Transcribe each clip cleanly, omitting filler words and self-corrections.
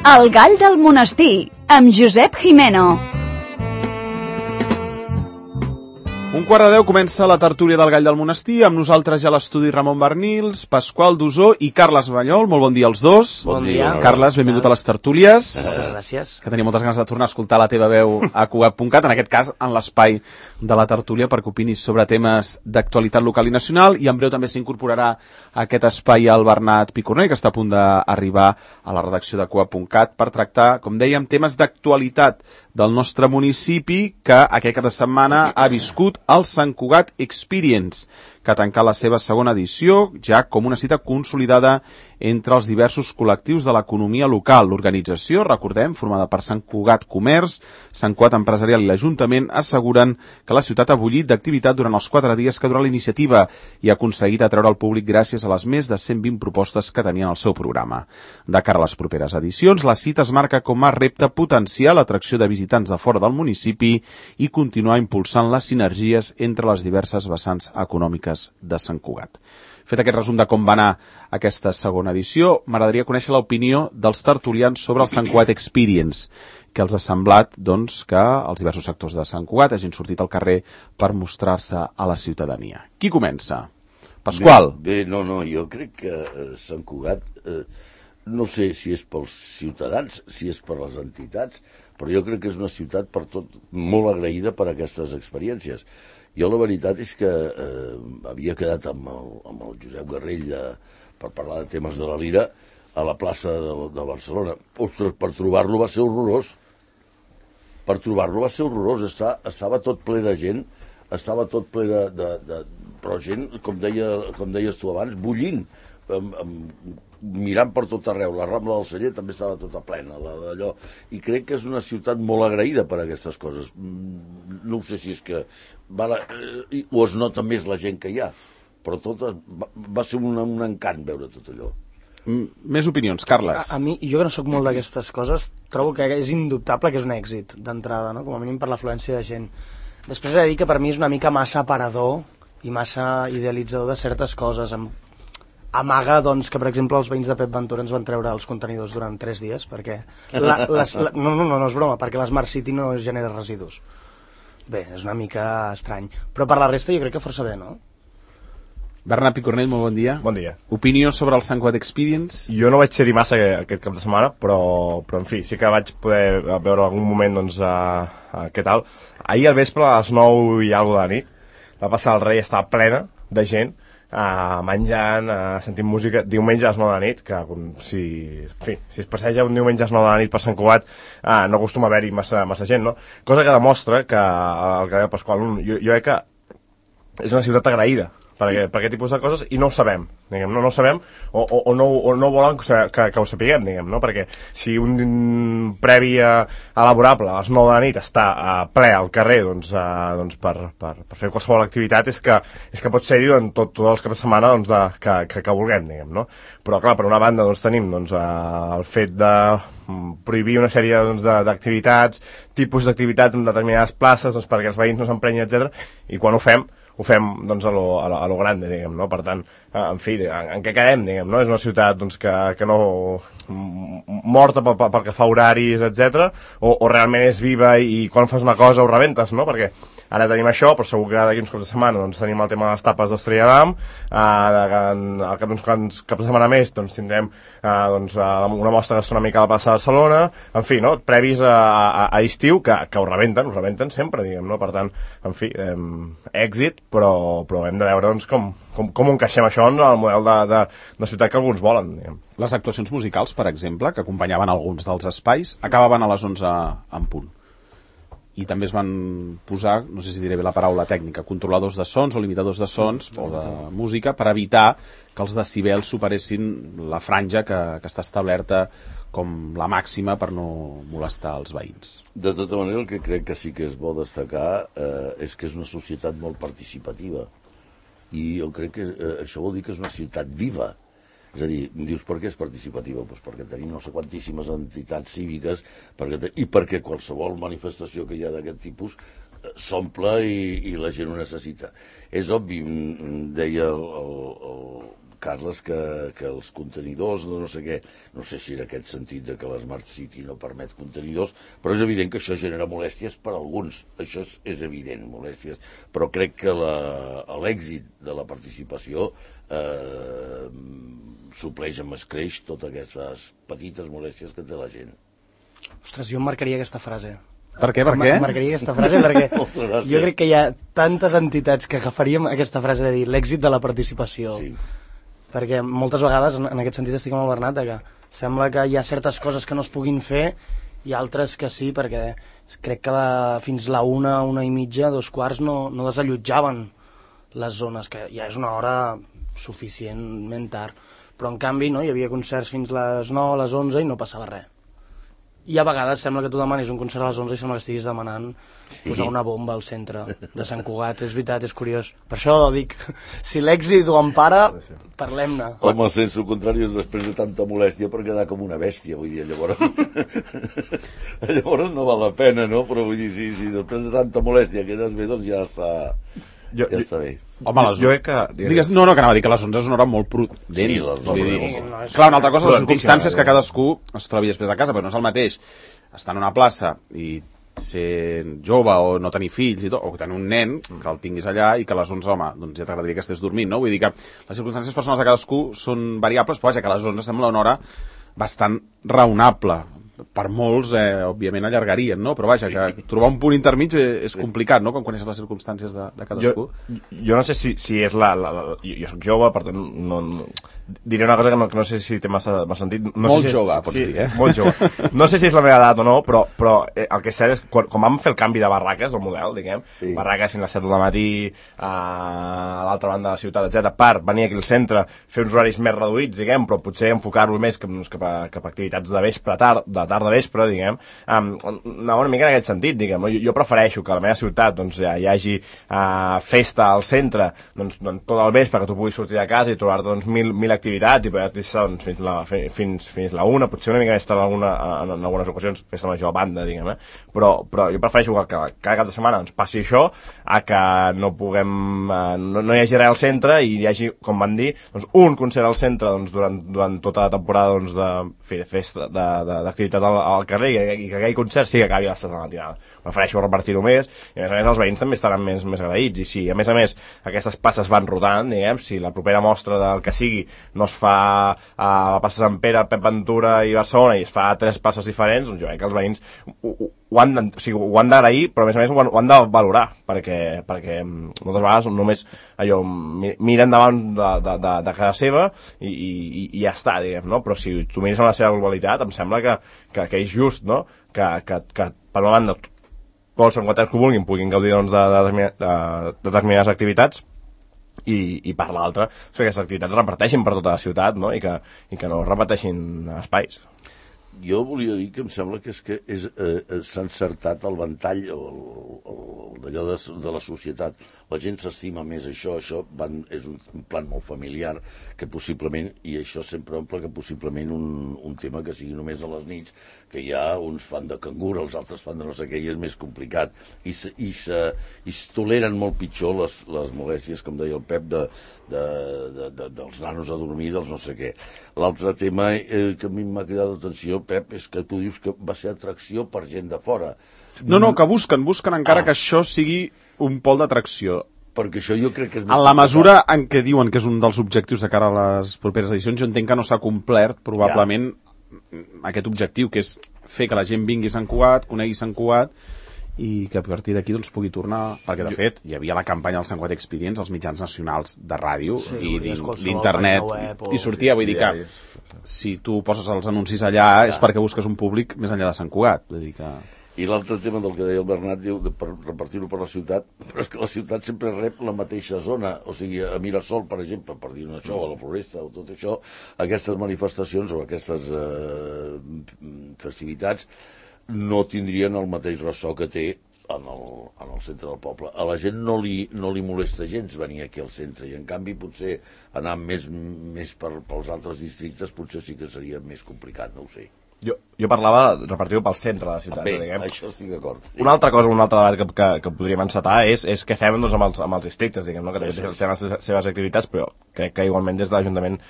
El gall del monestir, amb Josep Jimeno. 11:45 comença la tertúlia del Gall del Monestir, amb nosaltres ja a l'estudi Ramon Bernils, Pasqual Dusó i Carles Banyol. Molt bon dia als dos. Bon dia. Carles, benvingut a les tertúlies. Moltes gràcies. Que tenia moltes ganes de tornar a escoltar la teva veu a Cugat.cat, en aquest cas en l'espai de la tertúlia, perquè opinis sobre temes d'actualitat local i nacional, i en breu també s'incorporarà a aquest espai el Bernat Picornell, que està a punt d'arribar a la redacció de Cugat.cat per tractar, com dèiem, temes d'actualitat del nostre municipi, que aquest cap de setmana ha viscut el Sant Cugat Experience, que ha tancat la seva segona edició ja com una cita consolidada entre els diversos col·lectius de l'economia local. L'organització, recordem, formada per Sant Cugat Comerç, Sant Cugat Empresarial i l'Ajuntament, asseguren que la ciutat ha bullit d'activitat durant els 4 dies que dura la iniciativa i ha aconseguit atreure el públic gràcies a les més de 120 propostes que tenien al seu programa. De cara a les properes edicions, la cita es marca com a repte potenciar l'atracció de visitants de fora del municipi i continuar impulsant les sinergies entre les diverses vessants econòmiques de Sant Cugat. Fet aquest resum de com va anar aquesta segona edició, m'agradaria conèixer l'opinió dels tertulians sobre el Sant Cugat Experience, que els ha semblat doncs, que els diversos sectors de Sant Cugat hagin sortit al carrer per mostrar-se a la ciutadania. Qui comença? Pasqual. Bé, no, jo crec que Sant Cugat, no sé si és pels ciutadans, si és per les entitats, però jo crec que és una ciutat per tot molt agraïda per aquestes experiències. Jo la veritat és que havia quedat amb el Josep Garrell per parlar de temes de la Lira a la plaça de Barcelona. Ostres, per trobar-lo va ser horrorós. Estava tot ple de gent, estava tot ple però gent, com deies tu abans, bullint, mirant per tot arreu. La Rambla del Celler també estava tota plena d'allò, i crec que és una ciutat molt agraïda per aquestes coses. No sé si és que o es nota més la gent que hi ha, però va ser un encant veure tot allò. Més opinions, Carles. A mi, jo que no sóc molt d'aquestes coses, trobo que és indubtable que és un èxit d'entrada, no? Com a mínim per l'afluència de gent. Després he de dir que per mi és una mica massa aparador i massa idealitzador de certes coses. Amaga, doncs, que per exemple els veïns de Pep Ventura ens van treure els contenidors durant 3 dies perquè no és broma, perquè l'Smart City no genera residus. Bé, és una mica estrany, però per la resta jo crec que força bé, no? Bernat Picornell, molt bon dia. Bon dia. Opinió sobre el Sant Cugat Experience? Jo no vaig ser-hi massa aquest cap de setmana, però en fi, sí que vaig poder veure algun moment, doncs, què tal. Ahir al vespre, a les 9 i alguna de la nit, va passar el Rei, estava plena de gent, menjant, sentint música. Diumenge a les 9 de la nit, que si es passeja un diumenge a les 9 de la nit per Sant Cugat, no acostuma a haver-hi massa gent, no? Cosa que demostra que el que deia Pasqual, jo crec que és una ciutat agraïda per aquest tipus de coses, i no ho sabem, diguem, no ho sabem, o no volen que ho sapiguem, diguem, no? Perquè si un previ elaborable a les 9 de la nit està ple al carrer, doncs per fer qualsevol activitat, és que pot ser-hi tots els caps de setmana, doncs, que vulguem, diguem, no? Però clar, per una banda doncs tenim el fet de prohibir una sèrie d'activitats, tipus d'activitats en determinades places, doncs, perquè els veïns no s'emprenyin, etc. I quan ho fem doncs, a lo grande, diguem, no? Per tant, en fi, en què quedem, diguem, no? És una ciutat doncs, que no morta pel que fa horaris, etc. O realment és viva i quan fas una cosa ho rebentes, no? Perquè ara tenim això, però segur que d'aquí uns cops de setmana doncs, tenim el tema de les tapes d'Estrella d'Am, al cap d'uns caps de setmana més doncs, tindrem una mostra gastronòmica a la plaça de Barcelona, en fi, no? Previs a estiu que ho rebenten sempre, diguem, no? Per tant, en fi, èxit, però hem de veure doncs, com encaixem això en el model de ciutat que alguns volen, diguem. Les actuacions musicals, per exemple, que acompanyaven alguns dels espais, acabaven a les 11 en punt. I també es van posar, no sé si diré bé la paraula tècnica, controladors de sons o limitadors de sons o de música per evitar que els decibels superessin la franja que està establerta com la màxima per no molestar els veïns. De tota manera, el que crec que sí que és bo destacar és que és una societat molt participativa, i jo crec que això vol dir que és una ciutat viva. És a dir, dius, per què és participativa? Doncs perquè tenim no sé quantíssimes entitats cíviques i perquè qualsevol manifestació que hi ha d'aquest tipus s'omple i la gent ho necessita. És obvi, deia Carles, que els contenidors, no sé què, no sé si en aquest sentit de que l'Smart City no permet contenidors, però és evident que això genera molèsties per a alguns, això és evident, molèsties, però crec que l'èxit de la participació supleix amb escreix totes aquestes petites molèsties que té la gent. Ostres, jo em marcaria aquesta frase. Per què? Per què? Marcaria aquesta frase perquè jo crec que hi ha tantes entitats que agafaríem aquesta frase de dir l'èxit de la participació. Sí. Perquè moltes vegades, en aquest sentit, estic amb el Bernat, que sembla que hi ha certes coses que no es puguin fer i altres que sí, perquè crec que fins la 1:30, 2:15, no desallotjaven les zones, que ja és una hora suficientment tard. Però, en canvi, no, hi havia concerts fins les 9, a les 11 i no passava res. I a vegades sembla que tu demanis un concert a les 11 i sembla que estiguis demanant posar una bomba al centre de Sant Cugat. És veritat, és curiós. Per això dic, si l'èxit ho empara, parlem-ne. Home, el sense contrari és després de tanta molèstia per quedar com una bèstia, vull dir, llavors no val la pena, no? Però vull dir, si després de tanta molèstia quedes bé, doncs ja està bé. Home, jo crec que... Digues, no, que anava a dir que les 11 és una hora molt prudent. Sí, les 11. Clar, una altra cosa, les circumstàncies que cadascú es trobi després a casa, però no és el mateix estar en una plaça i ser jove o no tenir fills i tot, o tenir un nen que el tinguis allà i que a les 11, home, doncs ja t'agradaria que estés dormint, no? Vull dir que les circumstàncies personals de cadascú són variables, però vaja, que a les 11 sembla una hora bastant raonable. Per molts, òbviament, allargarien, no? Però vaja, que trobar un punt intermig és complicat, no?, quan coneixes les circumstàncies de cadascú. Jo no sé si és jo soc jove, per tant, diré una cosa que no sé si té massa sentit. Molt jove, pots dir, eh? Molt jove. No sé si és la meva edat o no, però el que és cert és que quan vam fer el canvi de barraques, del model, diguem, barraques fins a les 7 del matí, a l'altra banda de la ciutat, etc., per venir aquí al centre, fer uns horaris més reduïts, diguem, però potser enfocar-lo més cap a activitats de vespre, de tarda vespre, diguem, una mica en aquest sentit, diguem. Jo prefereixo que a la meva ciutat doncs, hi hagi festa al centre doncs, tot el vespre, que tu puguis sortir de casa i trobar-te doncs, mil activitats i poder estar doncs, fins la 1, potser una mica més tard en algunes ocasions, festa major a banda, diguem, però jo prefereixo que cada cap de setmana doncs, passi això, a que no puguem no hi hagi res al centre i hi hagi, com van dir, doncs, un concert al centre doncs, durant tota la temporada doncs, de festa, d'activitats al carrer i que aquell concert sí que acabi a les 3 de la matinada. Prefereixo repartir-ho més i a més els veïns també estaran més agraïts i si a més aquestes passes van rodant, diguem, si la propera mostra del que sigui no es fa a la plaça Sant Pere, Pep Ventura i Barcelona i es fa a 3 passes diferents, doncs jo crec que els veïns ho han d'agrair, però a més ho han de valorar perquè moltes vegades només allò miren davant de casa seva i ja està, diguem, no? Però si tu mires en la seva globalitat em sembla que és just, no? Que per una banda tots els santcugatencs que ho vulguin puguin gaudir doncs, de determinades activitats i per l'altra que aquestes activitats reparteixin per tota la ciutat, no? I que no reparteixin espais. Jo volia dir que em sembla que s'ha encertat el ventall d'allò de la societat. La gent s'estima més això és un plan molt familiar que possiblement, i això sempre omple que possiblement un tema que sigui només a les nits, que hi ha uns fan de cangur, els altres fan de no sé què, i és més complicat. I es toleren molt pitjor les molèsties, com deia el Pep, dels nanos a dormir, dels no sé què. L'altre tema que a mi m'ha cridat l'atenció, Pep, és que tu dius que va ser atracció per gent de fora. No, que busquen encara que això sigui un pol d'atracció. Perquè això jo crec que és més en la mesura en què diuen que és un dels objectius de cara a les properes edicions, jo entenc que no s'ha complert probablement aquest objectiu, que és fer que la gent vingui a Sant Cugat, conegui Sant Cugat i que a partir d'aquí doncs, pugui tornar, perquè de fet hi havia la campanya del Sant Cugat Experience als mitjans nacionals de ràdio i d'internet i sortia, vull dir que si tu poses els anuncis allà és perquè busques un públic més enllà de Sant Cugat, vull dir que... I l'altre tema del que deia el Bernat, diu, per repartir-ho per la ciutat, però és que la ciutat sempre rep la mateixa zona, o sigui, a Mirasol, per exemple, per dir això, a la Floresta, o tot això, aquestes manifestacions o aquestes festivitats no tindrien el mateix ressò que té en el centre del poble. A la gent no li molesta gens venir aquí al centre, i en canvi potser anar més pels altres districtes potser sí que seria més complicat, no ho sé. Jo parlava de repartir-ho pel centre de la ciutat. Bé, això estic d'acord. Sí. Una altra cosa, un altre debat que podríem encetar és què fem doncs, amb els districtes, diguem, no? Que també tenen les seves activitats, però crec que igualment des de l'Ajuntament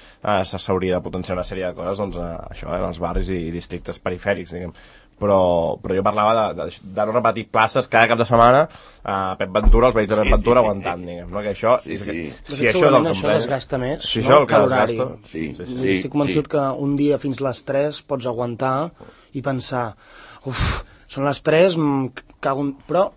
s'hauria de potenciar una sèrie de coses, doncs, això, en els barris i districtes perifèrics, diguem. Però jo parlava de no repetir places cada cap de setmana a Pep Ventura, els veïns de Pep Ventura aguantant, diguem, no? Que això, si això és el que això desgasta més, si això no? que desgasta, estic convençut que un dia fins les 3 pots aguantar i pensar, són les 3, però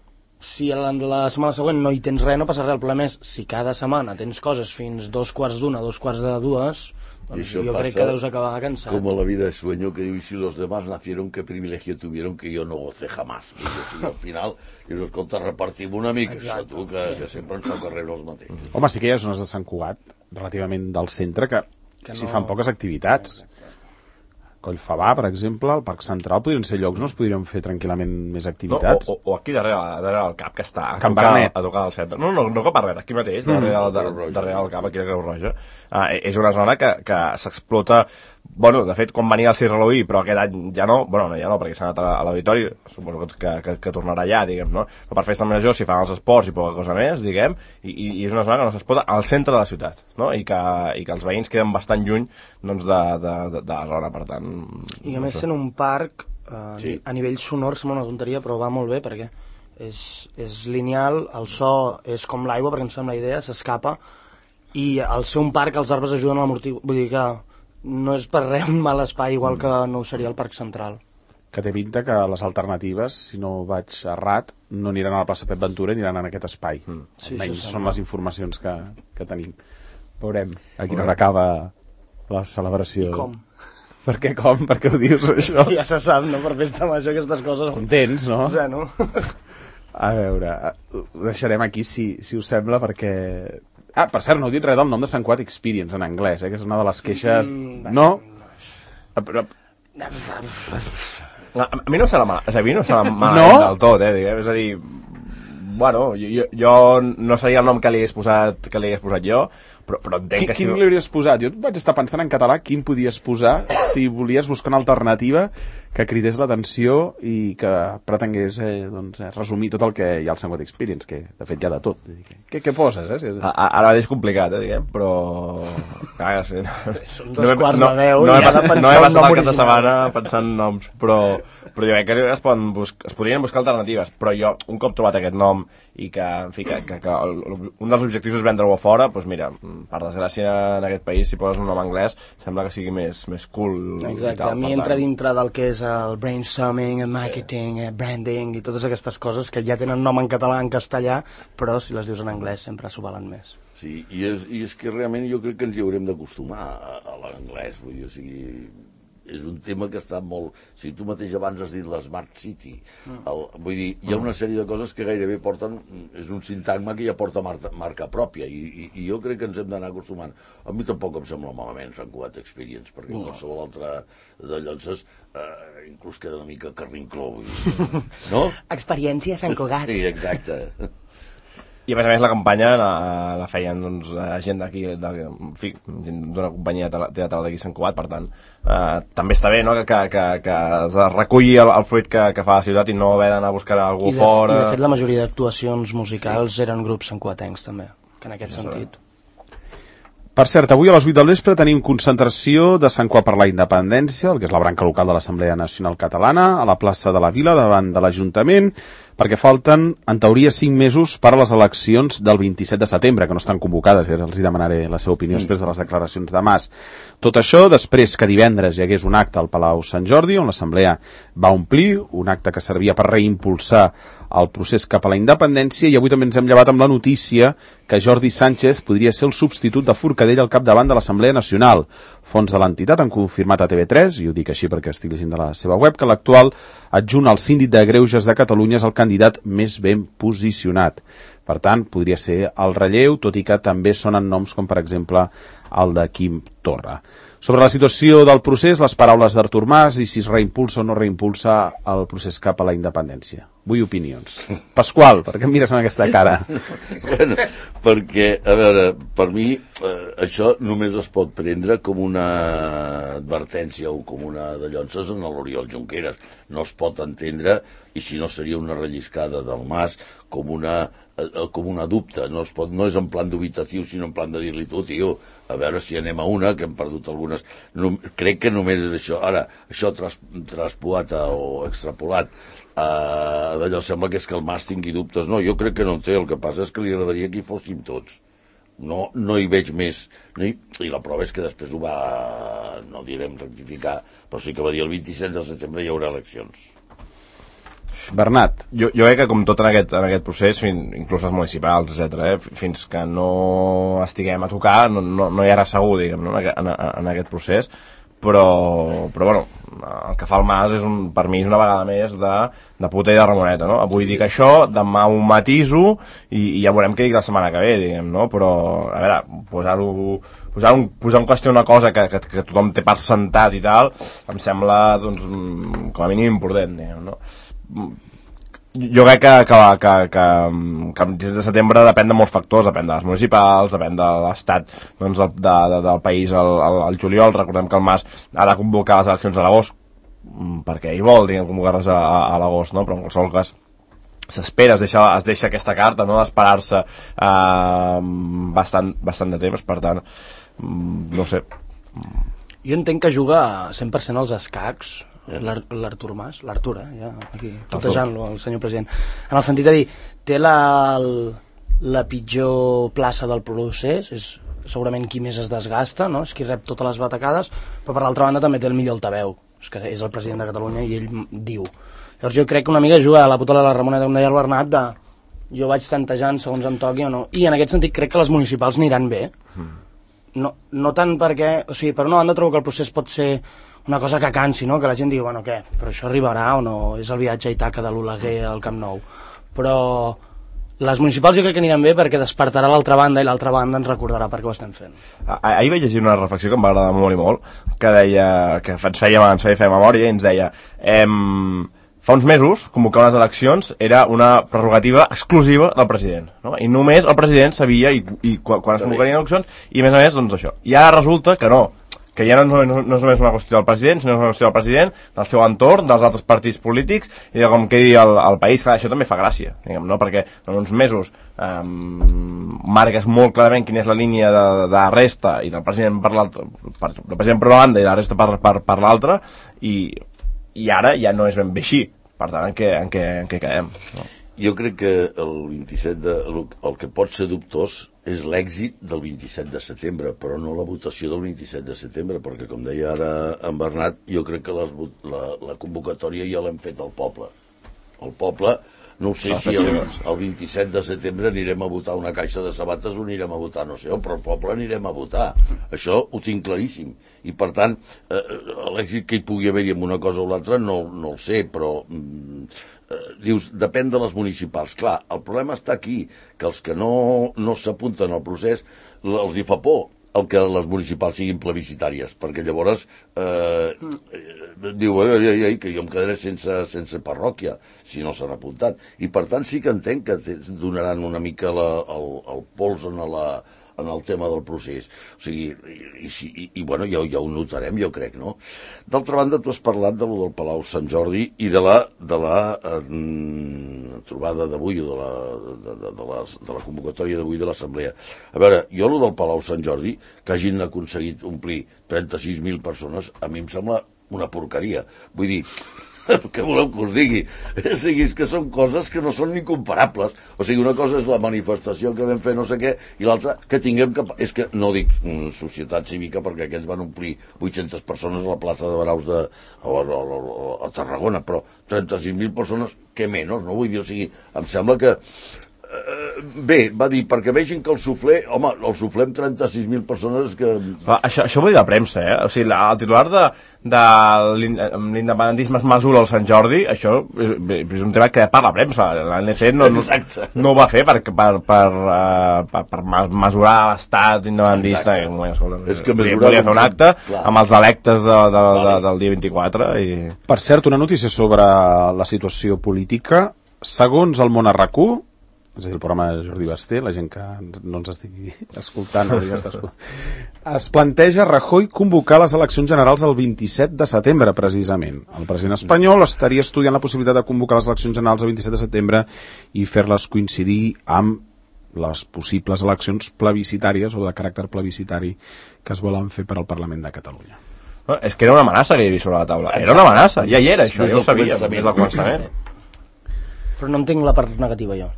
si la setmana següent no hi tens res, no passa res. El problema és, si cada setmana tens coses fins 2:45, 2:45, doncs yo creo que deus acabar cansat. Como la vida es sueño, que digo, y si los demás nacieron, qué privilegio tuvieron que yo no gocé jamás. I al final, i no escolta, repartim una mica, això, tu, que sempre ens toca rebre els mateixos. Home, sí que hi ha zones de Sant Cugat, relativament del centre, que s'hi fan poques activitats. Collfabà, per exemple, al Parc Central podrien ser llocs on es podrien fer tranquil·lament més activitats. No, o aquí darrere el CAP, que està a tocar al centre. No Cap Arret, aquí mateix, darrere el CAP, aquí a Creu Roja. És una zona que s'explota. Bueno, de fet, quan venia el Cirre Halloween, però aquest any ja no, perquè s'ha anat a l'auditori, suposo que tornarà allà, diguem, no? Però per festa major s'hi fan els esports i poca cosa més, diguem, i és una zona que no s'explota al centre de la ciutat, no? I que els veïns queden bastant lluny, doncs, de la zona, per tant... I a més, sent un parc, a nivell sonor sembla una tonteria, però va molt bé, perquè és lineal, el so és com l'aigua, perquè em sembla la idea, s'escapa, i al ser un parc els arbres ajuden a l'amortiguar, vull dir que no és per res un mal espai, igual que no ho seria el Parc Central. Que té pinta que les alternatives, si no vaig errat, no aniran a la plaça Pep Ventura, aniran en aquest espai. Almenys són les informacions que tenim. Veurem a quina hora acaba la celebració. I com? Per què com? Per què ho dius, això? Ja se sap, no? Per festa major aquestes coses... Contents, no? Bueno. A veure, ho deixarem aquí, si us sembla, perquè... Ah, per cert, no heu dit res del nom de Sant Cugat Experience en anglès, que és una de les queixes... No? Però... A mi no serà malament del tot, diguem. És a dir, bueno, jo no seria el nom que li hagués posat jo, però entenc que si... Quin li hauries posat? Jo vaig estar pensant en català quin podies posar si volies buscar una alternativa que cridés l'atenció i que pretengués resumir tot el que hi ha al Sant Cugat Experience, que de fet hi ha de tot. Què poses, Ara és complicat, diguem, però... Sí. Són 2:45, no he passat el cap de setmana pensant en noms, però jo crec que es podrien buscar alternatives, però jo, un cop trobat aquest nom i que, en fi, que un dels objectius és vendre-ho a fora, doncs mira, per desgràcia en aquest país, si poses un nom anglès, sembla que sigui més cool. Exacte, a mi entra dintre del que és el brainstorming, el marketing, el branding i totes aquestes coses que ja tenen nom en català, en castellà, però si les dius en anglès sempre s'ho valen més. Sí, i és que realment jo crec que ens hi haurem d'acostumar a l'anglès, vull dir, o sigui... és un tema que està molt... Si tu mateix abans has dit l'Smart City, vull dir, hi ha una sèrie de coses que gairebé porten... És un sintagma que ja porta marca pròpia, i jo crec que ens hem d'anar acostumant. A mi tampoc em sembla malament Sant Cugat Experience, perquè qualsevol altre de Llonses inclús queda una mica carrincló, no? Experiència Sant Cugat. Sí, exacte. I a més la campanya la feien gent d'aquí, d'una companyia teatral d'aquí Sant Cugat, per tant també està bé, no?, que es reculli el fruit que fa la ciutat i no haver d'anar a buscar algú fora. I de fet la majoria d'actuacions musicals eren grups santcuatencs també, que en aquest sentit. Per cert, avui a les 8 del vespre tenim concentració de Sant Cugat per la Independència, el que és la branca local de l'Assemblea Nacional Catalana, a la plaça de la Vila, davant de l'Ajuntament, perquè falten, en teoria, 5 mesos per a les eleccions del 27 de setembre, que no estan convocades, els hi demanaré la seva opinió després de les declaracions de Mas. Tot això després que divendres hi hagués un acte al Palau Sant Jordi, on l'Assemblea va omplir, un acte que servia per reimpulsar el procés cap a la independència, i avui també ens hem llevat amb la notícia que Jordi Sánchez podria ser el substitut de Forcadell al capdavant de l'Assemblea Nacional. Fons de l'entitat han confirmat a TV3, i ho dic així perquè estic llegint de la seva web, que l'actual adjunt al síndic de Greuges de Catalunya és el candidat més ben posicionat. Per tant, podria ser el relleu, tot i que també sonen noms com, per exemple, el de Quim Torra. Sobre la situació del procés, les paraules d'Artur Mas i si es reimpulsa o no reimpulsa el procés cap a la independència. Vull opinions. Pasqual, per què em mires amb aquesta cara? Bueno, perquè, a veure, per mi això només es pot prendre com una advertència o com una de llonces en l'Oriol Junqueras. No es pot entendre i si no seria una relliscada del Mas com una dubte, no és en plan dubitatiu, sinó en plan de dir-li tu, tio, a veure si anem a una, que hem perdut algunes. Crec que només és això. Ara, això traspolat o extrapolat, d'allò sembla que és que el Mas tingui dubtes. No, jo crec que no en té, el que passa és que li agradaria que hi fóssim tots. No hi veig més. I la prova és que després ho va, no direm rectificar, però sí que va dir el 27 de setembre hi haurà eleccions. Bernat. Jo crec que com tot en aquest procés, inclús les municipals, etc., fins que no estiguem a tocar, no hi ha res segur, diguem, no? en aquest procés, però bueno, el que fa el Mas és per mi és una vegada més de puta i de Ramoneta, no? Avui dic això, demà ho matiso i ja veurem què dic la setmana que ve, diguem, no? Però, a veure, posar en qüestió una cosa que tothom té per sentat i tal, em sembla, doncs, com a mínim important, diguem, no? Jo crec que el 16 de setembre depèn de molts factors, depèn de les municipals, depèn de l'estat, doncs, del país al juliol. Recordem que el Mas ha de convocar les eleccions a l'agost, perquè ell vol, diguem, convocar-les a l'agost, no? Però en qualsevol cas s'espera, es deixa aquesta carta, no?, d'esperar-se bastant de temps, per tant, no sé. Jo entenc que juga 100% als escacs, l'Artur Mas, l'Artur, ja aquí tutejant-lo, el senyor president, en el sentit de dir, té la pitjor plaça del procés, és segurament qui més es desgasta, no? És qui rep totes les batacades, però per l'altra banda també té el millor altaveu, és que és el president de Catalunya i ell diu. Llavors jo crec que una mica juga a la puta de la Ramoneta, com deia el Bernat, de jo vaig tantejant segons em toqui o no, i en aquest sentit crec que les municipals aniran bé, no tant perquè, o sigui, per una banda trobo que el procés pot ser una cosa que cansi, no? Que la gent digui, bueno, què, però això arribarà o no? És el viatge a Itaca de l'Oleguer al Camp Nou. Però les municipals jo crec que aniran bé perquè despertarà l'altra banda i l'altra banda ens recordarà per què ho estem fent. Ahir vaig llegir una reflexió que em va agradar molt i molt, que deia, que ens feia fer memòria i ens deia, fa uns mesos convocar unes eleccions era una prerrogativa exclusiva del president, no? I només el president sabia i quan es convocarien eleccions i a més, doncs això. I ara resulta que no, que ja no és només una qüestió del president, sinó una qüestió del president, del seu entorn, dels altres partits polítics i de com quedi el país. Clar, això també fa gràcia, diguem, no? Perquè en uns mesos marques molt clarament quina és la línia de resta i del president per l'altra, del president per una banda i de la resta per l'altra, i ara ja no és ben bé així. Per tant, en què quedem? No? Jo crec que el 27 el que pot ser dubtós és l'èxit del 27 de setembre, però no la votació del 27 de setembre, perquè, com deia ara en Bernat, jo crec que la convocatòria ja l'hem fet al poble. El poble, no ho sé si el 27 de setembre anirem a votar una caixa de sabates o anirem a votar no sé on, però al poble anirem a votar. Això ho tinc claríssim. I, per tant, l'èxit que hi pugui haver-hi amb una cosa o l'altra no el sé, però dius, depèn de les municipals. Clar, el problema està aquí, que els que no s'apunten al procés els hi fa por el que les municipals siguin plebiscitàries, perquè llavors diu que jo em quedaré sense parròquia si no s'han apuntat. I per tant sí que entenc que donaran una mica el pols en el tema del procés. O sigui, i bueno, ja ho notarem, jo crec, no? D'altra banda, tu has parlat de lo del Palau Sant Jordi i de la trobada d'avui, o de la convocatòria d'avui de l'Assemblea. A veure, jo lo del Palau Sant Jordi, que hagin aconseguit omplir 36.000 persones, a mi em sembla una porqueria. Vull dir, què voleu que us digui? És que són coses que no són ni comparables. O sigui, una cosa és la manifestació que vam fer no sé què, i l'altra que tinguem que... És que no dic societat cívica, perquè aquests van omplir 800 persones a la plaça de Baraus a Tarragona, però 36.000 persones, què menys, no? Vull dir, o sigui, em sembla que... Bé, va dir, perquè vegin que el suflé, home, el suflé amb 36.000 persones que... Això ho diu la premsa, O sigui, el titular de l'independentisme es mesura al Sant Jordi, això és un tema que per la premsa. L'ANC no ho va fer per mesurar l'estat independentista. És que volia fer un acte amb els electes del dia 24. Per cert, una notícia sobre la situació política. Segons el Món a RAC1, és a dir, el programa de Jordi Basté, la gent que no ens estigui escoltant, es planteja Rajoy convocar les eleccions generals el 27 de setembre, precisament. El president espanyol estaria estudiant la possibilitat de convocar les eleccions generals el 27 de setembre i fer-les coincidir amb les possibles eleccions plebiscitàries o de caràcter plebiscitari que es volen fer per al Parlament de Catalunya. No, és que era una amenaça que hi havia sobre la taula. Era una amenaça, ja hi era, això, ja ho sabia, des del començament. Però no entenc la part negativa, jo.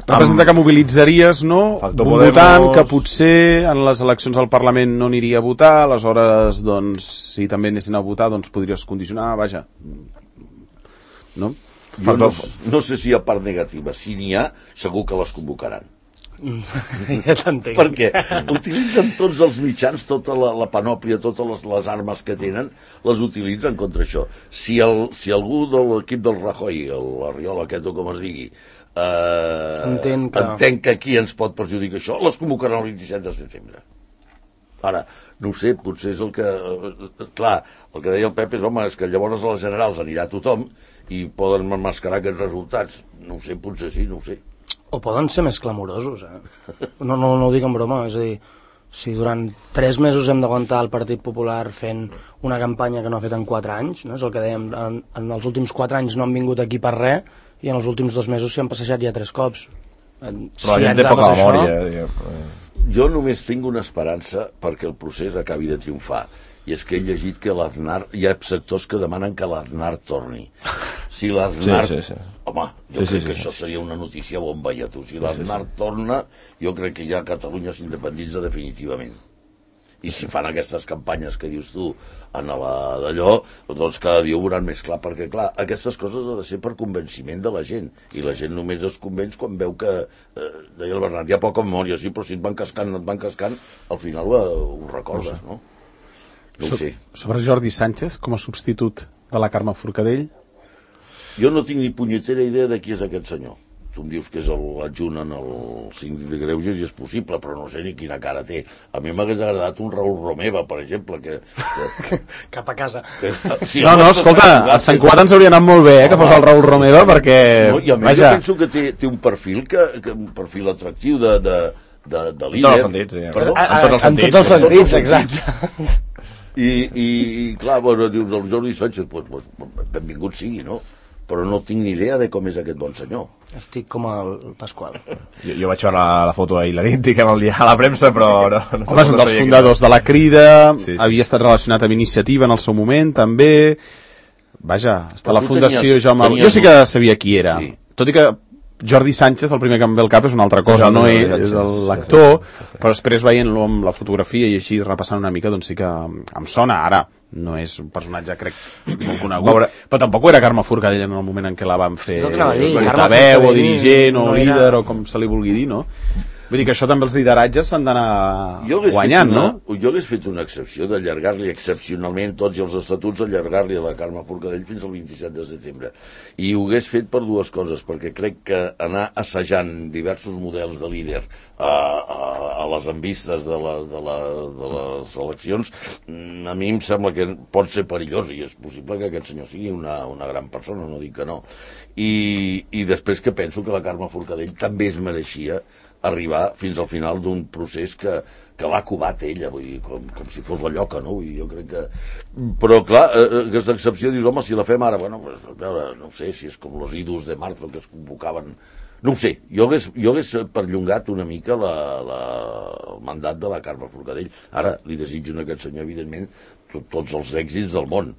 Representa que mobilitzaries, no? Un votant que potser en les eleccions al Parlament no aniria a votar, aleshores, doncs, si també anessin a votar, doncs podries condicionar, vaja. No? Jo no sé si hi ha part negativa. Si n'hi ha, segur que les convocaran. Ja t'entenc. Perquè utilitzen tots els mitjans, tota la panòplia, totes les armes que tenen, les utilitzen contra això. Si algú de l'equip del Rajoy, la Riola aquest o com es digui, entenc que aquí ens pot perjudicar això, les convocaran el 27 de setembre. Ara, no ho sé, potser és el que... Clar, el que deia el Pep és, home, és que llavors a les generals anirà tothom i poden emmascarar aquests resultats. No ho sé, potser sí, no ho sé. O poden ser més clamorosos, No ho dic en broma, és a dir, si durant 3 mesos hem d'aguantar el Partit Popular fent una campanya que no ha fet en 4 anys, no? És el que dèiem, en els últims 4 anys no han vingut aquí per res, i en els últims 2 mesos s'hi han passejat ja 3 cops. Però la gent té poca memòria. Jo només tinc una esperança perquè el procés acabi de triomfar, i és que he llegit que l'Aznar, hi ha sectors que demanen que l'Aznar torni. Si l'Aznar... Sí. Home, jo crec que això seria una notícia bomba, ja tu. Si l'Aznar torna, jo crec que ja Catalunya s'independitza definitivament. I si fan aquestes campanyes que dius tu en d'allò, doncs cada dia ho veuran més clar, perquè clar, aquestes coses han de ser per convenciment de la gent, i la gent només es convenç quan veu que, deia el Bernat, hi ha poca memòria, sí, però si et van cascant, al final ho recordes, no? No ho sé. Sobre Jordi Sánchez, com a substitut de la Carme Forcadell? Jo no tinc ni punyetera idea de qui és aquest senyor. Tu em dius que és l'adjunt en el síndic de Greuges i és possible, però no sé ni quina cara té. A mi m'hagués agradat un Raül Romeva, per exemple, que... Cap a casa. Sí, no, escolta, a Sant Cugat ens hauria anat molt bé, que fos el Raül Romeva, perquè... No, i a més jo penso que té un perfil un perfil atractiu de líder. En tots els sentits, sí. Perdó? En tots els sentits, exacte. I clar, bueno, dius, el Jordi Sánchez, benvingut sigui, no? Però no tinc ni idea de com és aquest bon senyor. Estic com el Pasqual. Jo vaig veure la foto ahir la nit, diguem, el dia a la premsa, però... Home, és un dels fundadors de la Crida, havia estat relacionat amb Iniciativa en el seu moment, també... Vaja, està la Fundació Jaume... Jo sí que sabia qui era, tot i que Jordi Sánchez, el primer que em ve al cap és una altra cosa, no és l'actor, però després veient-lo amb la fotografia i així repassant una mica, doncs sí que em sona ara. No és un personatge, crec, molt conegut, però tampoc era Carme Forcadell en el moment en què la van fer portaveu o dirigent o líder o com se li vulgui dir, no? Vull dir que això també els lideratges s'han d'anar guanyant, no? Jo hagués fet una excepció d'allargar-li excepcionalment tots els estatuts, allargar-li a la Carme Forcadell fins al 27 de setembre. I ho hagués fet per 2 coses, perquè crec que anar assajant diversos models de líder a les envistes de les eleccions, a mi em sembla que pot ser perillós, i és possible que aquest senyor sigui una gran persona, no dic que no. I després que penso que la Carme Forcadell també es mereixia arribar fins al final d'un procés que l'ha covat ella, vull dir, com si fos la lloca, no? Jo crec que... Però, clar, aquesta excepció, dius, home, si la fem ara, bueno, pues, a veure, no sé si és com los idus de marzo que es convocaven... No ho sé, jo hagués perllongat una mica el mandat de la Carme Forcadell. Ara li desitjo a aquest senyor, evidentment, tots els èxits del món.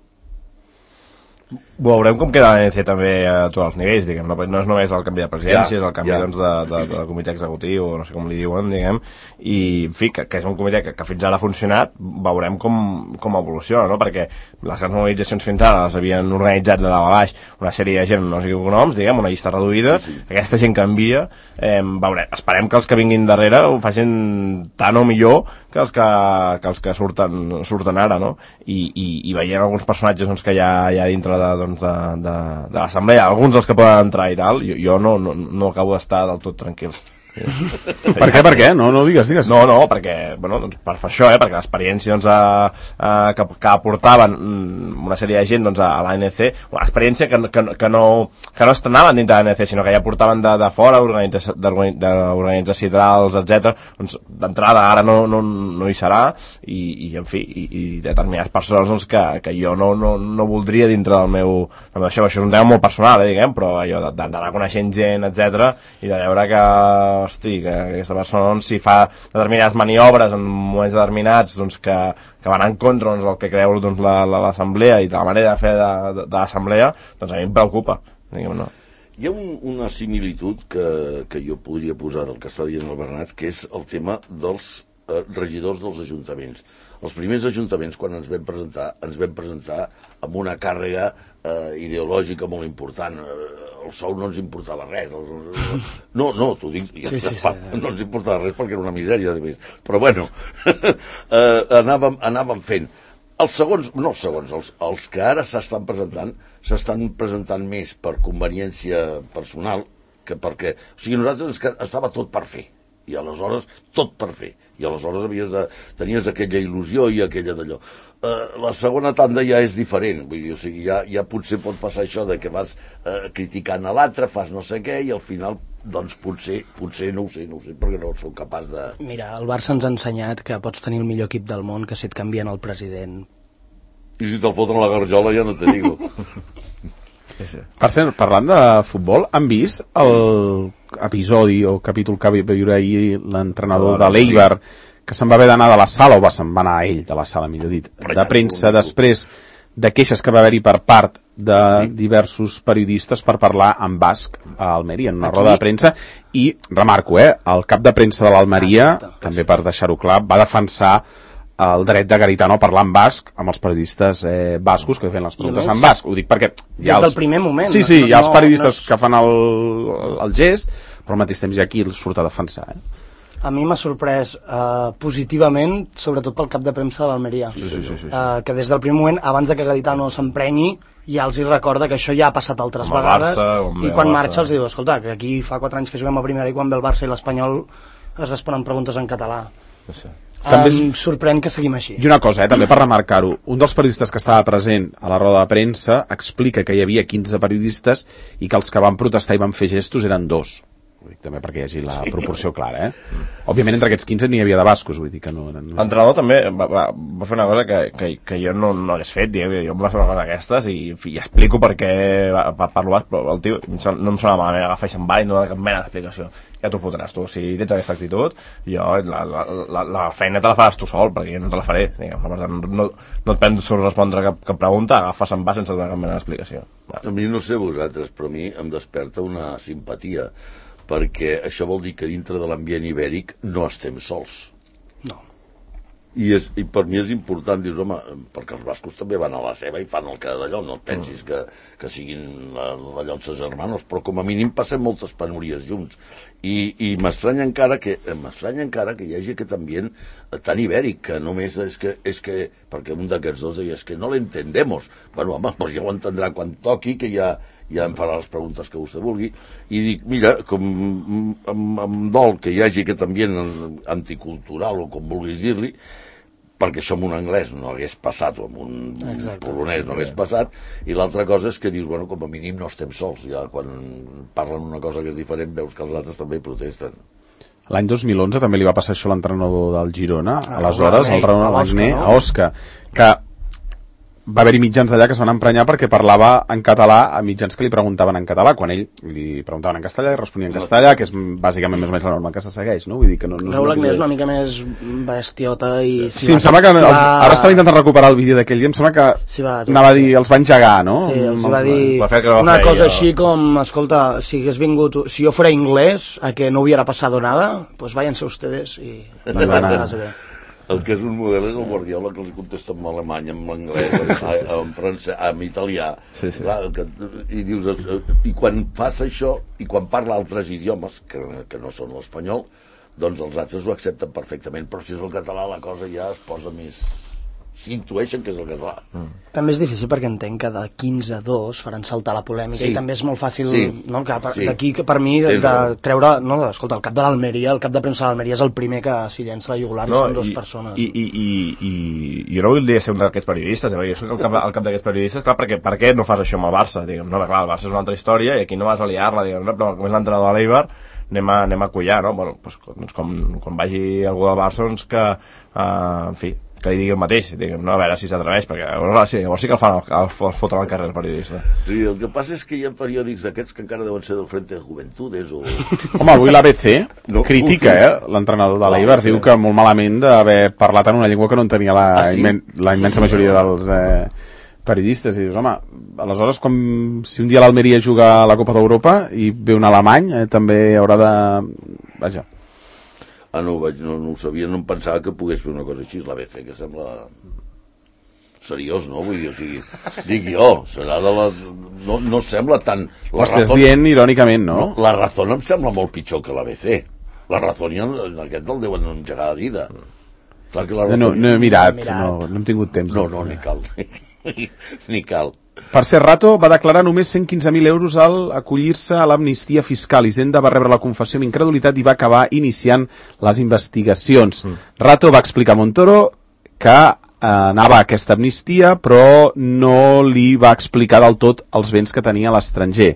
Veurem com queda l'ANC també a tots els nivells, diguem, no és només el canvi de presidència, és el canvi doncs, de comitè executiu, o no sé com li diuen, diguem, i en fi, que és un comitè que fins ara ha funcionat, veurem com evoluciona, no? Perquè les grans mobilitzacions fins ara les havien organitzat de dalt a baix una sèrie de gent, no sé quins noms, diguem, una llista reduïda, aquesta gent canvia, esperem que els que vinguin darrere ho facin tant o millor que els que surten ara, no? I veient alguns personatges doncs, que hi ha dintre de l'assemblea, alguns dels que poden entrar i tal, jo no acabo d'estar del tot tranquil. Per què? No digues. No, perquè, doncs, per això, perquè l'experiència doncs, que aportaven una sèrie de gent doncs, a l'ANC, una experiència que no estrenaven dintre de l'ANC, sinó que ja portaven de fora, d'organitzar cidrals, etc. Doncs, d'entrada ara no hi serà, i en fi, i determinades persones doncs, que jo no voldria dintre del meu... Això és un tema molt personal, diguem, però allò d'anar coneixent gent, etc, i de veure que aquesta persona doncs, si fa determinades maniobres en moments determinats doncs, que van en contra doncs, del que creu doncs, l'assemblea i de la manera de fer de l'assemblea, doncs a mi em preocupa, diguem, no? Hi ha una similitud que jo podria posar al que està dient el Bernat, que és el tema dels regidors dels ajuntaments. Els primers ajuntaments, quan ens vam presentar amb una càrrega ideològica molt important. El sou no ens importava res. No, t'ho dic, no ens importava res perquè era una misèria, de més. Però bueno, anàvem fent. Els que ara s'estan presentant més per conveniència personal que perquè... O sigui, nosaltres estava tot per fer. I aleshores, tot per fer. I aleshores tenies aquella il·lusió i aquella d'allò. La segona tanda ja és diferent. Vull dir, o sigui, ja potser pot passar això de que vas criticant a l'altre, fas no sé què, i al final, doncs potser no ho sé, perquè no sóc capaç de... Mira, el Barça ens ha ensenyat que pots tenir el millor equip del món, que si et canvien el president... I si te'l foten a la garjola ja no te digo. Per cert, parlant de futbol, han vist l'episodi o capítol que va viure ahir l'entrenador de l'Eibar, que se'n va haver d'anar de la sala, o se'n va anar ell de la sala, millor dit, de premsa, després de queixes que va haver-hi per part de diversos periodistes per parlar en basc a Almeria, en una roda de premsa, i remarco, el cap de premsa de l'Almeria, també per deixar-ho clar, va defensar el dret de Garitano a parlar en basc amb els periodistes bascos que feien les preguntes en basc. Ho dic perquè des del primer moment. Sí, hi ha els periodistes que fan el gest, però al mateix temps hi ha qui el surt a defensar. A mi m'ha sorprès positivament, sobretot pel cap de premsa de l'Almeria. Que des del primer moment, abans de que Garitano s'emprenyi, ja els hi recorda que això ja ha passat altres vegades, i quan marxa els diu, escolta, que aquí fa 4 anys que juguem a primera i quan ve el Barça i l'Espanyol es responen preguntes en català. Em sorprèn que seguim així. I una cosa, també per remarcar-ho, un dels periodistes que estava present a la roda de premsa explica que hi havia 15 periodistes i que els que van protestar i van fer gestos eren 2. Vull dir, també perquè hi hagi la proporció clara, Òbviament entre aquests 15 n'hi havia de bascos, vull dir que no... L'entrenador també va fer una cosa que jo no hagués fet, jo em va fer una cosa d'aquestes i explico per què parlo basc, però el tio no em sona malament, agafa i se'n va i no dona cap mena d'explicació. Ja t'ho fotràs tu, si tens aquesta actitud, jo la feina te la faràs tu sol, perquè jo no te la faré, diguem. Per tant, no et penso respondre cap pregunta, agafa, se'n va sense donar cap mena d'explicació. A mi no sé vosaltres, però a mi em desperta una simpatia, perquè això vol dir que dintre de l'ambient ibèric no estem sols. No. I per mi és important, dius, home, perquè els bascos també van a la seva i fan el que d'allò, no et pensis que siguin d'allò els germanos, però com a mínim passem moltes penúries junts. I m'estranya encara que hi hagi aquest ambient tan ibèric, que només és que perquè un d'aquests dos deia, és que no l'entendemos. Bueno, home, doncs ja ho entendrà quan toqui, que ja em farà les preguntes que vostè vulgui, i dic, mira, com em dol que hi hagi aquest ambient anticultural, o com vulguis dir-li, perquè això amb un anglès no hagués passat, o amb un polonès no hagués passat, i l'altra cosa és que dius, bueno, com a mínim no estem sols, ja quan parlen una cosa que és diferent veus que els altres també protesten. L'any 2011 també li va passar això a l'entrenador del Girona, aleshores, el Raúl Agné, a Osca, que va haver-hi mitjans d'allà que es van emprenyar perquè parlava en català a mitjans que li preguntaven en català, quan ell li preguntaven en castellà i responia en castellà, que és bàsicament més o menys la norma que se segueix, no? Vull dir que no Raúl Agné és una mica més bestiota i... Sí, em sembla que ara estava intentant recuperar el vídeo d'aquell dia, em sembla que anava a dir, els va engegar, no? Sí, els va dir una cosa així com, escolta, si hagués vingut, si jo fuera inglés, a que no hubiera pasado nada, pues váyanse ustedes i... El que és un model és el Guardiola, que els contesta en alemany, en anglès, en francès, en italià. Clar, i dius, i quan fas això, i quan parla altres idiomes, que no són l'espanyol, doncs els altres ho accepten perfectament, però si és el català la cosa ja es posa més s'intueixen que és el català. També és difícil perquè entenc que de 15 a 2 faran saltar la polèmica i també és molt fàcil no, d'aquí que per mi de treure, no, escolta, el cap de l'Almeria, el cap de premsa de l'Almeria és el primer que s'hi llença la jugular i són dues persones. I jo no voldria ser un d'aquests periodistes, jo soc el cap d'aquests periodistes, clar, perquè per què no fas això amb el Barça? Diguem, no, clar, el Barça és una altra història i aquí no vas a liar-la, diguem, però com és l'entrenador de l'Eibar, anem a collar, no? Bueno, doncs quan vagi algú del Barça, doncs que, en fi, que li digui el mateix, diguem, no? A veure si s'atreveix, perquè llavors sí que el fotran al carrer el periodista. Sí, el que passa és que hi ha periòdics d'aquests que encara deuen ser del Frente de Juventudes o... Home, avui l'ABC critica, l'entrenador de l'Eibar, diu que molt malament d'haver parlat en una llengua que no en tenia la immensa majoria dels periodistes, i dius, home, aleshores si un dia l'Almeria juga a la Copa d'Europa i ve un alemany, també haurà de... Vaja. No ho sabia, no em pensava que pogués fer una cosa així, l'ABC, que sembla seriós, no? Vull dir, o sigui, dic jo, serà de la... No sembla tan... Ho estàs dient irònicament, no? La Razón em sembla molt pitjor que l'ABC. La Razón i aquest el deuen engegar de vida. Clar que la Razón... No he mirat, no hem tingut temps. No, ni cal. Ni cal. Per ser Rato va declarar només 115.000 euros al acollir-se a l'amnistia fiscal. Hisenda va rebre la confessió amb incredulitat i va acabar iniciant les investigacions. Rato va explicar a Montoro que anava a aquesta amnistia, però no li va explicar del tot els béns que tenia a l'estranger.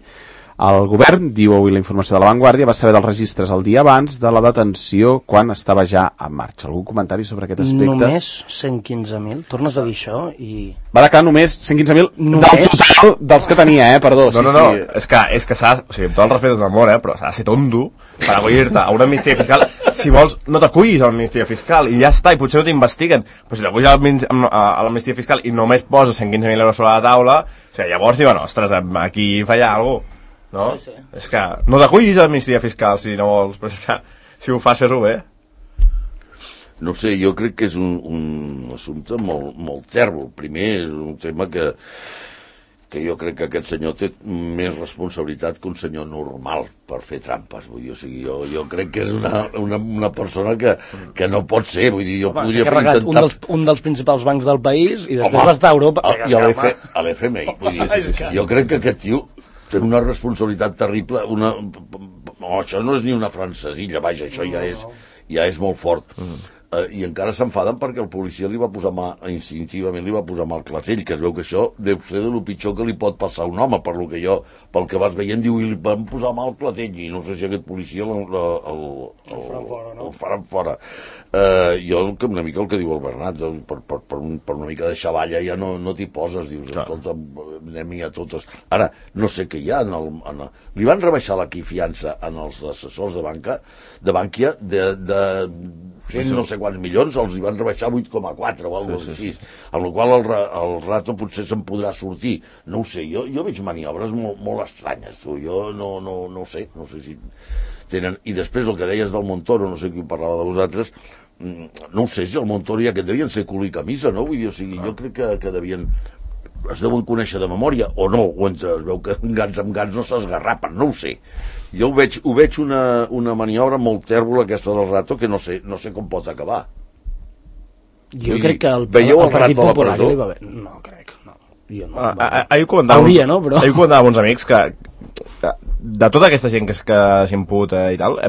El govern, diu avui la informació de La Vanguardia, va saber dels registres el dia abans de la detenció quan estava ja en marxa. Algun comentari sobre aquest aspecte? Només 115.000? Tornes a dir això i... Va declarar només 115.000 del total dels que tenia, perdó. No, és que s'ha... O sigui, amb tot el respecte del món, però s'ha de ser tonto per acollir-te a una amnistia fiscal. Si vols, no t'acullis a l'amnistia fiscal i ja està, i potser no t'investiguen. Però si t'acullis a l'amnistia fiscal i només poses 115.000 euros sobre la taula, o sigui, llavors diuen, ostres, aquí falla alguna cosa. No? Sí. És que no t'acullis a l'amnistia fiscal si no vols, però és que si ho fas, fes-ho bé. No sé, jo crec que és un assumpte molt tèrbol. Primer, és un tema que jo crec que aquest senyor té més responsabilitat que un senyor normal per fer trampes. Vull dir, o sigui, jo crec que és una persona que no pot ser. Vull dir, jo podria intentar... un dels principals bancs del país i després va estar a Europa. I a l'FMI. Vull dir, jo crec que aquest tio té una responsabilitat terrible, això no és ni una francesilla, vaja, això ja és molt fort. I encara s'enfaden perquè el policia li va posar instintivament li va posar mà al clatell, que es veu que això deu ser de lo pitjor que li pot passar a un home, pel que vas veient, diu, i li van posar mà al clatell, i no sé si aquest policia el faran fora. Jo una mica el que diu el Bernat, per una mica de xavalla ja no t'hi poses, dius, escolta, anem-hi a totes. Ara, no sé què hi ha li van rebaixar la fiança en els assessors de Bànquia de 100 no sé quants milions, els hi van rebaixar 8,4 o alguna cosa així, amb la qual el Rato potser se'n podrà sortir. No ho sé, jo veig maniobres molt estranyes, tu. Jo no sé si tenen... I després el que deies del Montoro, no sé qui parlava de vosaltres, no ho sé si el Montoro ja que devien ser cul i camisa, no? Vull dir, o sigui, jo crec que es deuen conèixer de memòria, o no, o es veu que gans amb gans no s'esgarrapen, no ho sé. Jo ho veig una maniobra molt tèrbola aquesta del Rato que no sé com pot acabar. Jo crec que el Partit Popular li va bé. No, crec, no. Ahir ho comentava amb uns amics que de tota aquesta gent que s'imputa i tal,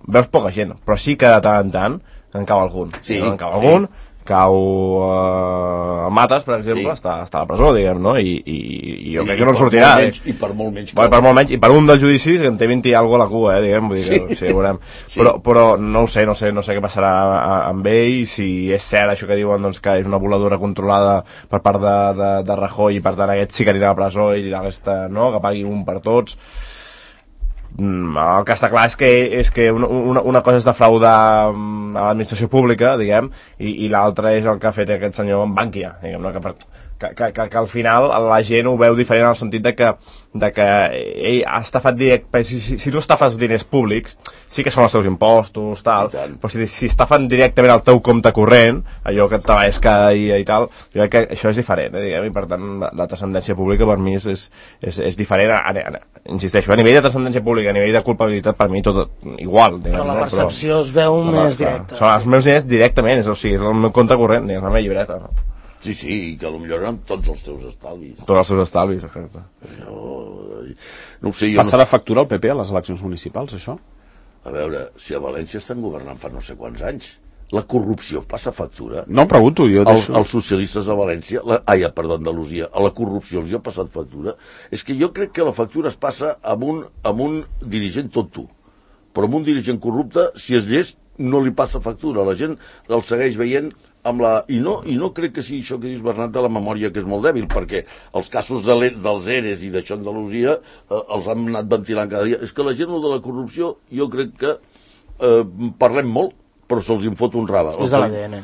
veus poca gent, però sí que de tant en tant en cau algun. Sí, en cau algun, cau Matas, per exemple, està a la presó, diguem, no? I jo crec que no en sortirà. I per molt menys. Per molt menys, i per un dels judicis que en té 20 i alguna a la cua, diguem, vull dir que sí, veurem. Però no ho sé, no sé què passarà amb ell, si és cert això que diuen, doncs, que és una voladura controlada per part de Rajoy i per tant aquest sí que anirà a la presó i aquesta, no?, que pagui un per tots. El que està clar és que una cosa és defraudar a l'administració pública, diguem, i l'altra és el que ha fet aquest senyor en Bànquia, diguem, no? Que al final la gent ho veu diferent en el sentit de que ell ha estafat si tu estafes diners públics sí que són els teus impostos, tal, però si estafen directament al teu compte corrent, allò que et treballes cada dia i tal, jo crec que això és diferent, diguem, i per tant la transcendència pública per mi és diferent, insisteixo, a nivell de transcendència pública, a nivell de culpabilitat, per mi tot igual, diguem, però la percepció es veu més directa. Són els meus diners directament, és el meu compte corrent, és la meva llibreta, no? Sí, i que potser eren tots els teus estalvis. Tots els seus estalvis, exacte. No ho sé, jo Passarà factura al PP a les eleccions municipals, això? A veure, si a València estan governant fa no sé quants anys, la corrupció passa factura. No, pregunto, jo Els socialistes de València, d'Andalusia, a la corrupció els ha passat factura. És que jo crec que la factura es passa amb un dirigent tonto, però amb un dirigent corrupte, si és llest, no li passa factura. La gent el segueix veient amb la... I no crec que sigui això que dius, Bernat, de la memòria, que és molt dèbil, perquè els casos dels ERES i d'això a Andalusia els han anat ventilant cada dia. És que la gent de la corrupció, jo crec que parlem molt, però se'ls en fot un rave. És de l'ADN.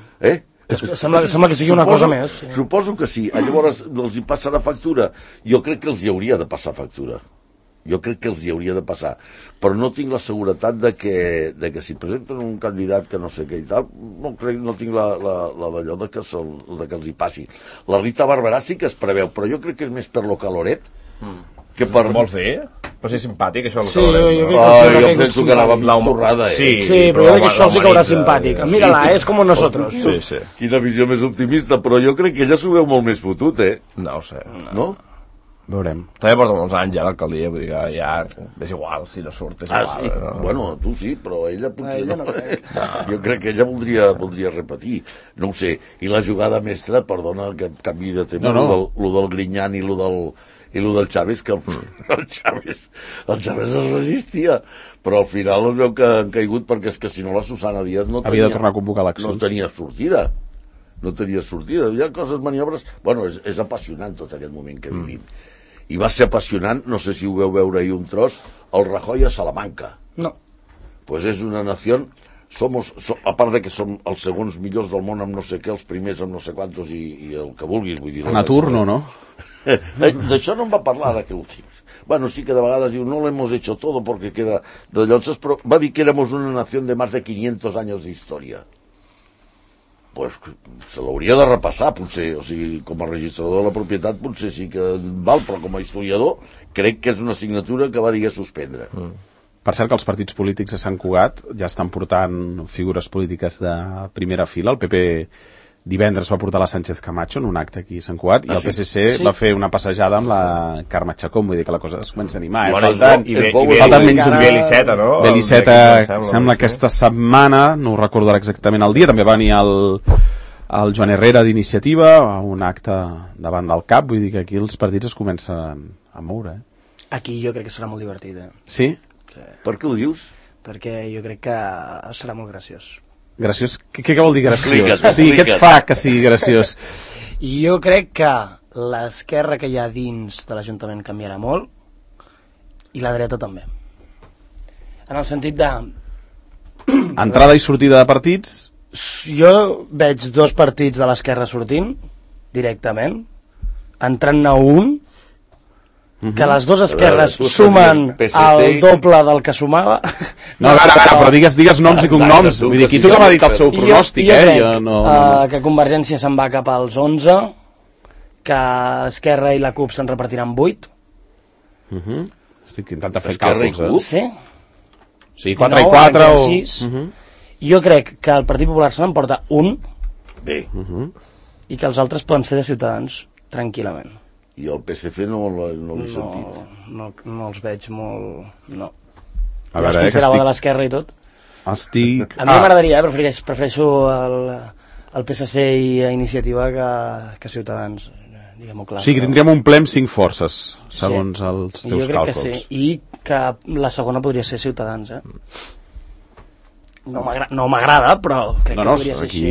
Sembla que sigui una cosa més. Sí. Suposo que sí. Llavors els hi passarà factura. Jo crec que els hi hauria de passar factura. Jo crec que els hi hauria de passar. Però no tinc la seguretat de que si presenten un candidat que no sé què i tal, no tinc la d'allò de que els hi passi. La Rita Barberà sí que es preveu, però jo crec que és més per lo caloret que per... Vols dir? Però si és simpàtic, això. Sí, jo penso que anava amb l'estorrada, Sí, però jo crec que això sí que haurà simpàtic. Mira-la, és com nosotros. Sí. Quina visió més optimista, però jo crec que ella s'ho veu molt més fotut, No ho sé. No? Veurem. També porta molts anys ja a l'alcaldia, vull dir que ja és igual, si no surt és igual. Sí? No? Bueno, tu sí, però ella potser ella no crec. Jo crec que ella voldria repetir. No ho sé. I la jugada mestra, perdona que canvi de tema, lo del Grinyán i lo del Chávez, que el Chávez es resistia, però al final es veu que han caigut perquè és que si no la Susana Díaz havia de tornar a convocar eleccions. No tenia sortida. Hi ha coses, maniobres... Bueno, és apassionant tot aquest moment que vivim. I va ser apassionant, no sé si ho veu veure ahir un tros, el Rajoy a Salamanca. No. Pues és una nació... a part de que som els segons millors del món amb no sé què, els primers amb no sé quantos i el que vulguis, vull dir... En atur no? D'això no em va parlar ara que ho dius. Bueno, sí que de vegades diu, no lo hemos hecho todo porque queda de llonses, però va dir que éramos una nación de más de 500 años de historia. Pues se l'hauria de repassar, potser, o sigui, com a registrador de la propietat potser sí que val, però com a historiador crec que és una assignatura que va dir suspendre. Per cert que els partits polítics de Sant Cugat ja estan portant figures polítiques de primera fila. El PP divendres va portar la Sánchez Camacho en un acte aquí a Sant Cugat i el PSC va fer una passejada amb la Carme Chacón, vull dir que la cosa es comença a animar. Falten menys un Beliceta, no? Beliceta, sembla que aquesta setmana, no ho recordo exactament el dia, també va venir el Joan Herrera d'Iniciativa a un acte davant del CAP, vull dir que aquí els partits es comencen a moure. Aquí jo crec que serà molt divertit. Sí? Per què ho dius? Perquè jo crec que serà molt graciós. Graciós? Què vol dir graciós? Explica't. Què et fa que sigui graciós? Jo crec que l'esquerra que hi ha dins de l'Ajuntament canviarà molt i la dreta també. En el sentit de... Entrada i sortida de partits? Jo veig dos partits de l'esquerra sortint directament, entrant-ne un, que les dues esquerres sumen el doble del que sumava. No, a veure, però digues noms i cognoms. Vull dir, aquí tothom ha dit el seu pronòstic, jo crec que Convergència se'n va cap als 11, que Esquerra i la CUP se'n repartiran 8. Estic intentant fer càlculs, Sí. Sí, 4 i 4 o... 6. Jo crec que el Partit Popular se n'emporta un i que els altres poden ser de Ciutadans, tranquil·lament. I el PSC no l'he sentit. No els veig molt... No. A ja es considerava de l'esquerra i tot. A mi m'agradaria, prefereixo el PSC i Iniciativa que Ciutadans, diguem-ho clar. O sigui, tindríem un ple amb 5 forces, segons els teus càlculs. Jo crec que sí, i que la segona podria ser Ciutadans, No m'agrada, però crec que podria ser així.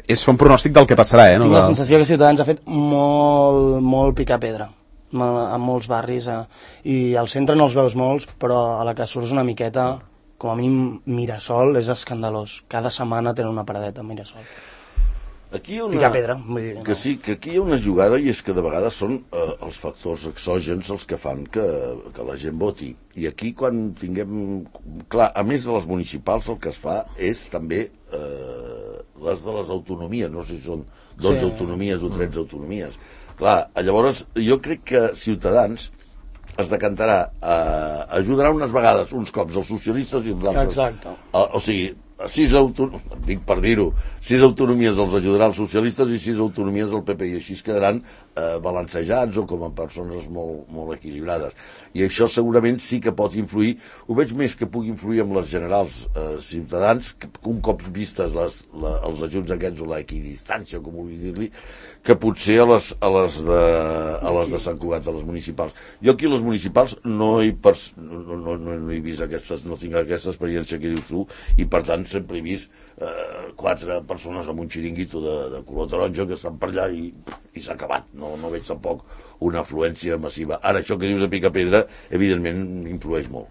És fer un pronòstic del que passarà, Tinc la sensació que Ciutadans ha fet molt picar pedra en molts barris, i al centre no els veus molts, però a la que surts una miqueta, com a mínim Mirasol és escandalós. Cada setmana tenen una paradeta a Mirasol. Picar pedra. Que sí, que aquí hi ha una jugada, i és que de vegades són els factors exògens els que fan que la gent voti. I aquí quan tinguem... Clar, a més de les municipals el que es fa és també les de les autonomies, no sé si són 12 autonomies o 13 autonomies. Clar, llavors jo crec que Ciutadans es decantarà, ajudarà unes vegades, uns cops, els socialistes i els altres. Exacte. O sigui, dic per dir-ho, 6 autonomies els ajudaran els socialistes i 6 autonomies del PP, i així es quedaran balancejats o com a persones molt, molt equilibrades. I això segurament sí que pot influir, ho veig més que pugui influir amb les generals Ciutadans, que un cop vistes els ajuts aquests o l'equidistància, com vulgui dir-li, que potser a les de Sant Cugat, a les municipals. Jo aquí a les municipals no he vist no tinc aquesta experiència que dius tu, i per tant sempre he vist 4 persones amb un xiringuito de color taronja que estan per allà i s'ha acabat. No veig tampoc una afluència massiva. Ara, això que dius de Picapedra, evidentment influeix molt.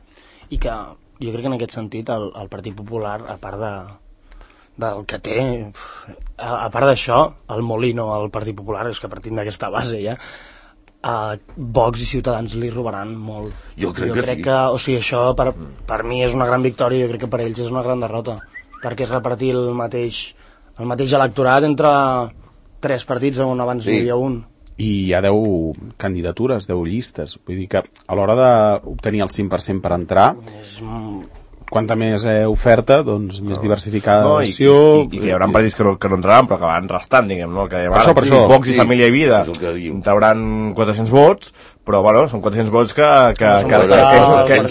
I que jo crec que en aquest sentit el Partit Popular, a part del que té, a part d'això, el Molino, el Partit Popular, és que partim d'aquesta base ja, Vox i Ciutadans li robaran molt. Jo crec que sí. O sigui, això per mi és una gran victòria, jo crec que per ells és una gran derrota, perquè és repartir el mateix electorat entre 3 partits on abans hi havia un. I hi ha 10 candidatures, 10 llistes. Vull dir que a l'hora d'obtenir el 5% per entrar, quanta més oferta, doncs més diversificada l'acció. I que hi haurà partits que no entraran, però que van restant, diguem, no? Que per això. Vox i Família i Vida trauran 400 vots, però bueno, són 400 vots que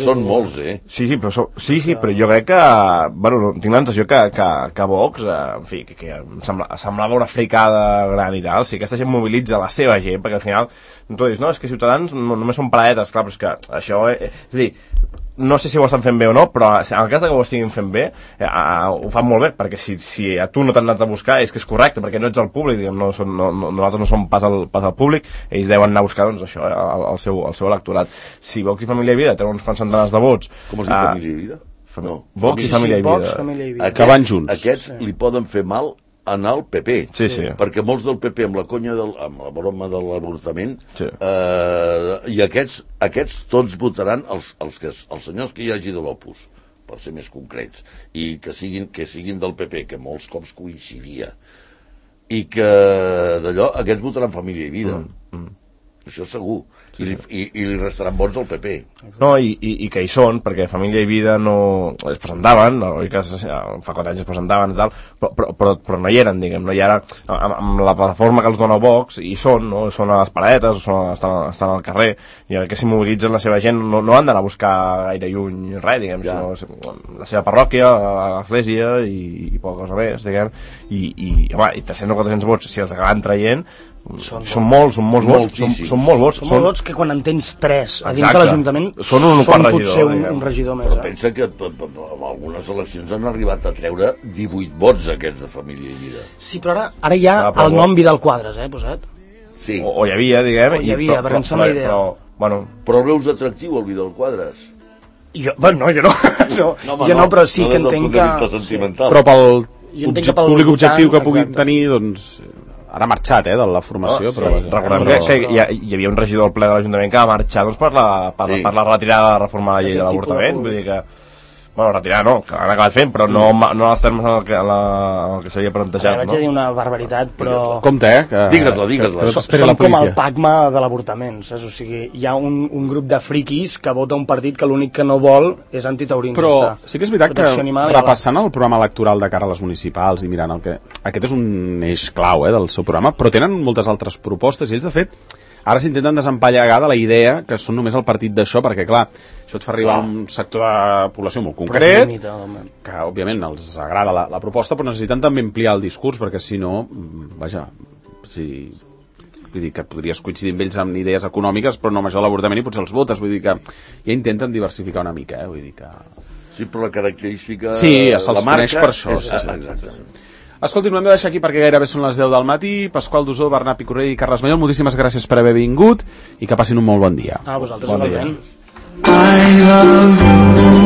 són molts, Sí, però jo crec que, bueno, tinc la sensació que Vox, en fi, que em semblava una fricada gran i tal. Si aquesta gent mobilitza la seva gent, perquè al final tu dius, no, és que Ciutadans només són paradetes, clar, però és que això, és a dir, no sé si ho estan fent bé o no, però en el cas que ho estiguin fent bé, ho fan molt bé, perquè si a tu no t'han anat a buscar és que és correcte, perquè no ets el públic, diguem, nosaltres no som pas el públic, ells deuen anar a buscar, doncs, això, el seu electorat. Si Vox i Família i Vida tenen uns quants centenars de vots... Com es diu Família i Vida? No. Vox i Família i Vida. Que van junts. Aquests li poden fer mal anar al PP, sí. perquè molts del PP amb la broma de l'avortament, sí. I aquests tots votaran els senyors que hi hagi de l'Opus, per ser més concrets, i que siguin del PP, que molts cops coincidia, i que d'allò aquests votaran Família i Vida. Això segur. I li restaran vots al PP. No, i que hi són, perquè Família i Vida no es presentaven, oi que fa 4 anys es presentaven i tal, però no hi eren, diguem, no hi era amb la plataforma que els dona Vox, i són, no? Són a les paradetes, estan al carrer, i que si mobilitzen la seva gent no han d'anar a buscar gaire lluny res, diguem, sinó la seva parròquia, l'església i poca cosa més, diguem, i 300 o 400 vots, si els acaben traient, són molts vots, són molts vots que quan en tens 3 a dins de l'Ajuntament són potser un regidor més. Però pensa que en algunes eleccions han arribat a treure 18 vots aquests de Família i Vida. Sí, però ara hi ha el nom Vidal Quadras, posat. Sí. O hi havia, diguem. Però em sembla idea. Però el veus atractiu, el Vidal Quadras? Jo no, però sí que entenc que... Però pel públic objectiu que puguin tenir, doncs... Ara ha marxat, de la formació, però... Recordem que hi havia un regidor al ple de l'Ajuntament que va marxar per la retirada de reformar la llei de l'avortament, vull dir que... Bueno, retirar no, que l'han acabat fent, però no als termes en el que s'havia plantejat. Vaig a dir una barbaritat, però... Compte, Digues-la. Som com el PACMA de l'avortament, saps? O sigui, hi ha un grup de friquis que vota un partit que l'únic que no vol és antitaurins. Però sí que és veritat que, repassant el programa electoral de cara a les municipals i mirant aquest és un eix clau del seu programa, però tenen moltes altres propostes i ells, de fet, ara s'intenten desempallegar de la idea que són només el partit d'això, perquè, clar, això et fa arribar a un sector de població molt concret, que, òbviament, els agrada la proposta, però necessiten també ampliar el discurs, perquè, si no, vaja, vull dir que podries coincidir amb ells amb idees econòmiques, però no amb això de l'avortament i potser els votes, vull dir que ja intenten diversificar una mica, vull dir que... Sí, però la característica... Sí, se'ls coneix per això. Exactament. Escolti, no hem de deixar aquí perquè gairebé són les 10 del matí. Pasqual Dusó, Bernat Picornell i Carles Mallol, moltíssimes gràcies per haver vingut i que passin un molt bon dia. A vosaltres, bon dia. I love you.